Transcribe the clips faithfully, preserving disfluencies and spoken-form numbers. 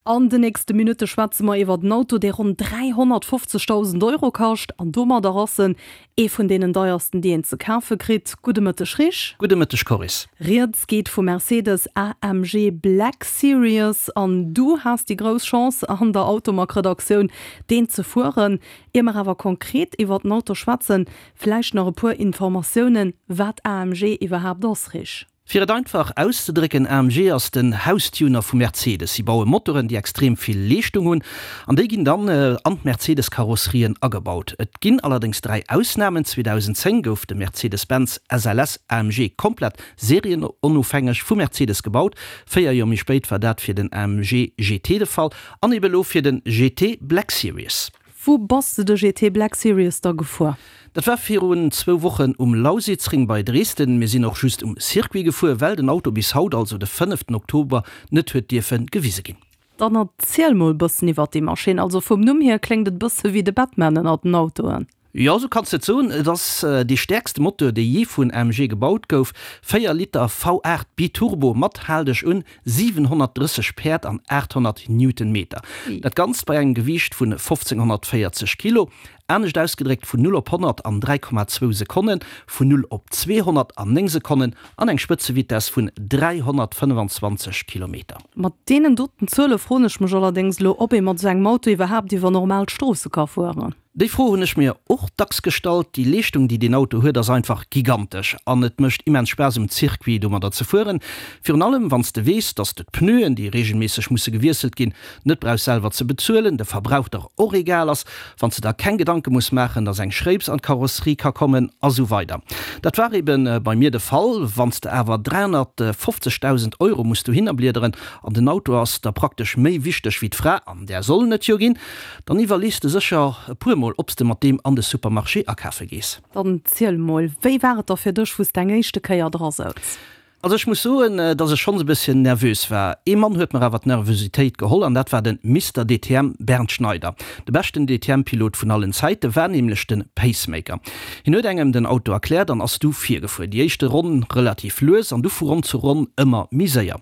An de nächste Minutte schwätze mer iwwer den Auto, dee ronn dräihonnertfofzegdausend Euro kascht an domadder ass en ee vun deenen deiersten, déi een ze kafe kritt. Gudde Mëtteg Rich. Gudde Mëtteg Coris. Rieds geet vum Mercedes A M G Black Series an du has déi grouss Chance an der Automag-Redaktioun deen ze fueren. Ier mer awer konkret iwwer den Auto schwätzen, vläicht nach e puer Informatiounen, wat A M G iwwerhaapt ass, Rich? Fir et einfach auszedrécken, A M G ass den Haustuner vu Mercedes. Si baue Motoren, déi extrem vill Leeschtung hunn, an déi ginn dann an d'Mercedes-Karosserien agebaut. Et ginn allerdéngs dräi Ausnamen, zweedausendzéng gouf de Mercedes-Benz S L S A M G komplett serienonofhängeg vu Mercedes gebaut, véier Joer méi spéit war dat fir den A M G G T de Fall an ebe lo fir den G T Black Series. Wou bass de de G T Black Series da gefuer? Dat war virun zwou Wochen um Lausitzring bei Dresden. Mir sinn och just um Circuit gefuer, well den Auto bis haut, also de fënneften Oktober, net huet dierfe gewise ginn. Dann erziel mol bëssen iwwert déi Maschinn. Also vum Numm hier kléngt et bësse wéi de Batman ënnert den Autoen. Jo, sou kanns de et soen. Et ass dee stäerkste Moteur, dee jee vun A M G gebaut gouf, véier Liter V aacht Biturbo mat, hal dech un, siwenhonnertdrësseg Päerd an aathonnert Newtonmeter. Dat Ganzt bei engem Gewiicht vun fofzénghonnertvéierzeg Kilo. Anescht ausgedréckt, vun null op honnert an dräi Komma zwou Sekonnen, vun null op zweehonnert an néng Sekonnen an eng Spëtzevitess vun dräihonnertfënnefenzwanzeg Kilometer. Mat deenen doten Zuele froen ech mech allerdéngs elo, ob ee mat esou engem Auto iwwerhaapt iwwer normal Stroosse ka fueren. Déi Fro hunn ech mir och dacks gestallt. Déi Leeschtung, déi deen Auto huet, ass einfach gigantesch an et mécht immens Spaass um Circuit domadder ze fueren. Virun allem wann s de weess, dass de d'Pneuen, déi reegelméisseg musse gewiesselt ginn, net brauchs selwer ze bezuelen, de Verbrauch der och egal ass, wann s de der keng Gedanke muss maachen, dass eng Schréips an d'Karosserie ka kommen a sou weider. Dat war eben bei mir de Fall. Wann s de awer dräihonnertfofzegdausend Euro muss dohinner bliederen an den Auto ass der praktesch méi wichteg wéi d'Fra, an där sollen et jo ginn, dann iwwerlees de sécher e puer Mol, ob s de mat deem an de Supermarché akafe gees. Dann ziel mol, wéi war et da fir dech, wou s de eng éischte Kéier dra souz? Also ech muss soen, dass ech schonns e bësschen nervös war. Ee Mann huet mer awer d'Nervositéit geholl an dat war den Mister D T M Bernd Schneider. De beschten D T M-Pilot vun allen Zäite war nämlech den Pacemaker. Hien huet engem den Auto erkläert an ass du virgefuer. Déi éischte Ronn relativ lues an du vu Ronn zu Ronn ëmmer méi séier.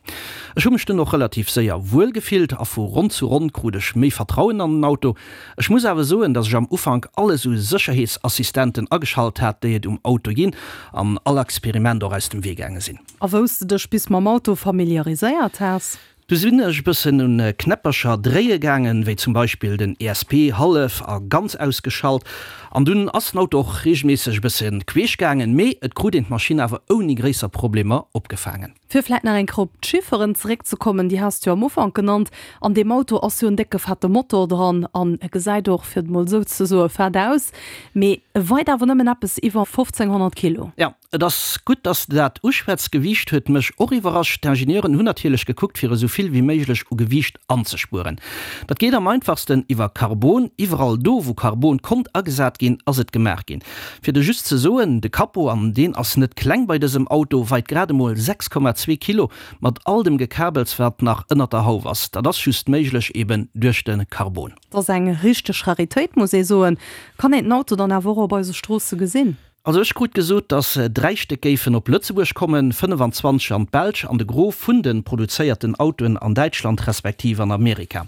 Ech hu mech dunn och relativ séier wuel gefillt a vu Ronn zu Ronn krut ech méi Vertrauen an den Auto. Ech muss awer soen, dass ech am Ufank alles u Sécherheetsassistenten ageschalt hat, déi et um Auto ginn an all Experiment och aus dem Wee gaange sinn. A wou s de dech bis mam Auto familiariséiert has? Du sinn ech e bëssen un Knäppercher dréie gaangen, wéi zum Beispill den E S P hallef a ganz ausgeschalt. An dunn ass den Auto och reegelméisseg e bësse queesch gaangen, mee et krut een d'Maschinn awer ouni gréisser Problemer opgefaangen. Fir vläit nach eng Kéier op d'Chifferen zeréckzekommen, déi has de jo am Ufank genannt. An deem Auto ass jo en décke fette Motor dran an e gesäit och, fir et mol esou ze soen, fett aus, mee e weit awer nëmmen eppes iwwer fofzénghonnert Kilo. Jo, et ass gutt, dass de dat uschwätz. D'Gewiicht huet mech och iwwerrascht. D'Ingenieuren hunn natierlech gekuckt, fir esou vill wéi méiglech u Gewiicht anzespueren. Dat geet am einfachsten iwwer Karbon. Iwwerall do, wou Karbon konnt agesat ginn, ass et gemaach ginn. Fir der just ze soen, de Capot, an deen ass net kleng bei dësem Auto, weit grad emol sechs Komma zwee Kilo, mat all dem Gekabels, wat nach ënnert der Hauf ass. Dat ass just méiglech eben duerch de Karbon. Dat ass eng richteg Raritéit, muss ee soen. Kann een den Auto dann awer och op eise Stroosse gesinn? Also ech krut gesot, dass dräi Stéck géifen op Lëtzebuerg kommen, fënnefenzwanzeg an d'Belsch an de Gros vun de produzéierten Autoen an Däitschland respektiv an Amerika.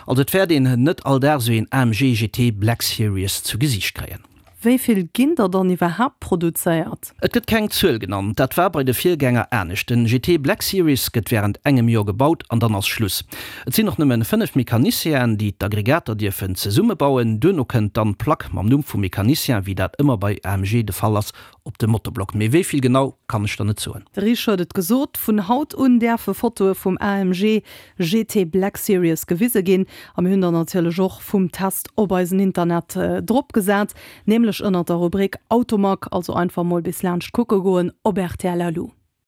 Also et wäert een net all Dag esou een A M G G T Black Series zu Gesiicht kréien. Wéi vill ginn der dann iwwerhaapt produzéiert? Et gëtt keng Zuel genannt. Dat war bei de Virgänger anescht. Den G T Black Series gëtt wärend engem Joer gebaut an dann ass Schluss. Et sinn och nëmmen fënnef Mecanicienen, déi d'Aggregater dierfen zesummebauen. Duerno kënnt dann d'Plack mam Numm vum Mecanicien, wéi dat ëmmer bei A M G de Fall ass, op de Motorblock. Mee wéi vill genau, kann ech der net soen. De Rich huet et gesot, vun haut un däerfe Fotoe vum A M G G T Black Series gewise ginn. A mir hunn der natierlech och vum Test op eisen Internet drop gesat, nämlech ënnert der Rubrik Automag. Also einfach mol bis laanscht kucke goen op rtl punkt lu.